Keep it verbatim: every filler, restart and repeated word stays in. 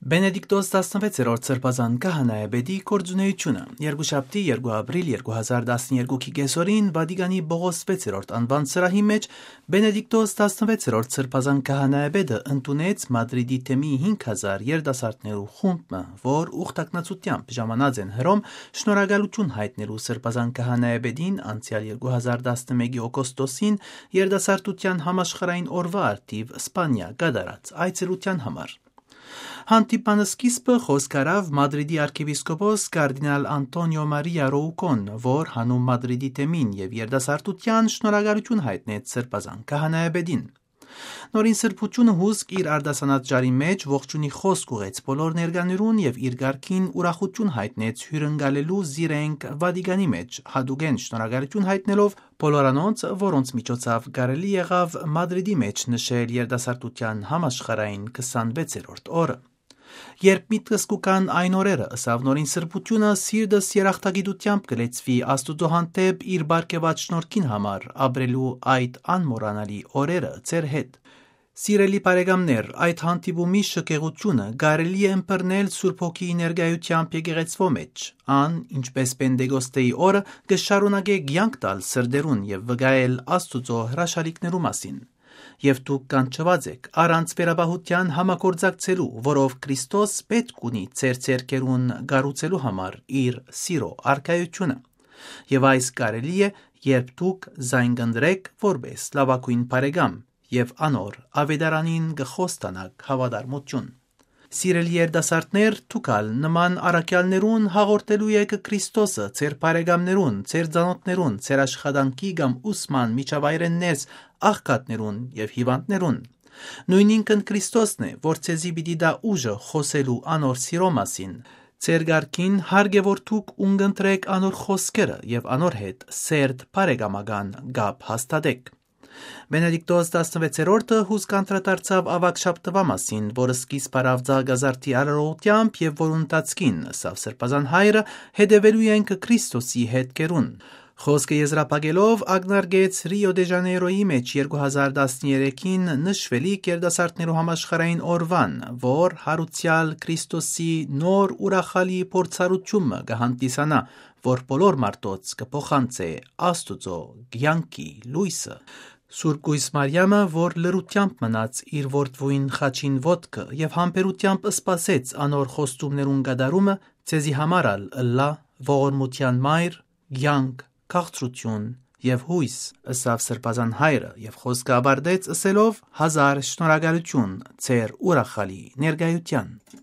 Բենեդիկտոս տասնվեցերորդ սրբազան քահանայապետի գործունեությունը։ Երկուշաբթի, երկու ապրիլ երկու հազար տասներկուքի կեսօրին Վատիկանի Պողոս վեցերորդ անուան սրահի մէջ Բենեդիկտոս տասնվեցերորդ սրբազան քահանայապետը ընդունեց Մադրիդի թեմի հինգ հազար երիտասարդներու խումբ մը, որ ուխտակնացութեամբ ժամանած են Հռոմ շնորհակալութիւն յայտնելու սրբազան քահանայապետին անցեալ երկու հազար տասնմէկի օգոստոսին երիտասարդութեան համաշխարհային օրուայ առթիւ Սպանիա կատարած այցելութեան համար։ Հանդիպման սկիզբը խօսք առաւ Մադրիդի արքեպիսկոպոս կարդինալ Անտոնիո Մարիա Ռոուկոն, որ հանում Մադրիդի թեմին եւ երիտասարդութեան շնորհակալութիւն յայտնեց սրբազան քահանայապետին։ Նորին սրբութիւնը հուսկ իր արտասանած ճառի մէջ ողջունի խօսք ուղղեց բոլոր ներկաներուն եւ իր կարգին ուրախութիւն յայտնեց հիւրընկալելու զիրենք Վատիկանի մէջ, յատուկէն շնորհակալութիւն յայտնելով բոլոր անոնց, որոնց միջոցաւ կարելի եղաւ Մադրիդի մէջ նշել երիտասարդութեան համաշխարհային քսանվեցերորդ օրը։ «Երբ միտքս կու կան այն օրերը», ըսաւ նորին սրբութիւնը, «սիրտս երախտագիտութեամբ կը լեցուի Աստուծոյ հանդէպ իր պարգեւած շնորհքին համար, ապրելու այդ անմոռանալի օրերը ձեր հետ»։ Սիրելի բարեկամներ, այդ հանդիպումի շքեղութիւնը կարելի է ըմբռնել Սուրբ Հոգիի ներկայութեամբ եկեղեցւոյ մէջ։ Ան, ինչպէս Պենտեկոստեի օրը, կը շարունակէ կեանք տալ սրտերուն եւ վկայել Աստուծոյ հրաշալիքներու մասին։ Եւ դուք կանչուած էք առանց վերապահութեան համագործակցելու, որով Քրիստոս պէտք ունի ձեր ձեռքերուն կառուցելու համար իր սիրո առկայութիւնը։ Եւ այս կարելի է, երբ դուք զայն կ'ընտրէք որպէս լաւագոյն բարեկամ եւ անոր աւետարանին կը խոստանաք հաւատարմութիւն։ Սիրելի երիտասարդներ, դուք ալ նման առաքեալներուն հաղորդելու էք Քրիստոսը ձեր բարեկամներուն, ձեր ծանօթներուն, ձեր աշխատանքի կամ ուսման միջավայրէն ներս աղքատներուն եւ հիւանդներուն։ Նոյնինքն Քրիստոսն է, որ ձեզի պիտի տայ ուժը խօսելու անոր սիրո մասին։ Ձեր կարգին հարկ է, որ դուք ունկնդրէք անոր խօսքերը եւ անոր հետ սերտ բարեկամական կապ հաստատէք։ Բենեդիկտոս տասնվեցերորդը հուսկ անդրադարձաւ աւագ շաբթուայ մասին, որ սկիզբ առաւ Ծաղկազարդի արարողութեամբ եւ որ ընթացքին, ըսաւ Սրբազան Հայրը, հետեւելու ենք Քրիստոսի հետքերուն։ Խօսքը եզրափակելով՝ ակնարկեց Ռիո դե Ժանեյրոյի մէջ երկու հազար տասներեքին նշուելիք երիտասարդներու համաշխարհային օրուան, որ յարուցեալ Քրիստոսի նոր ուրախալի փորձառութիւն մը կը հանդիսանայ, որ բոլոր մարդոց կը փոխանցէ Աստուծոյ կեանքի լոյսը։ Սուրբ Կոյս Մարիամը, որ լռութեամբ մնաց իր որդւոյն խաչին ոտքը եւ համբերութեամբ սպասեց անոր խոստումներուն կատարումը, ձեզի համար ալ ըլլայ ողորմութեան մայր, կեանք, քաղցրութիւն եւ յոյս, ըսաւ Սրբազան Հայրը եւ խօսքը աւարտեց ըսելով. «Հազար շնորհակալութիւն ձեր ուրախալի ներկայութեան»։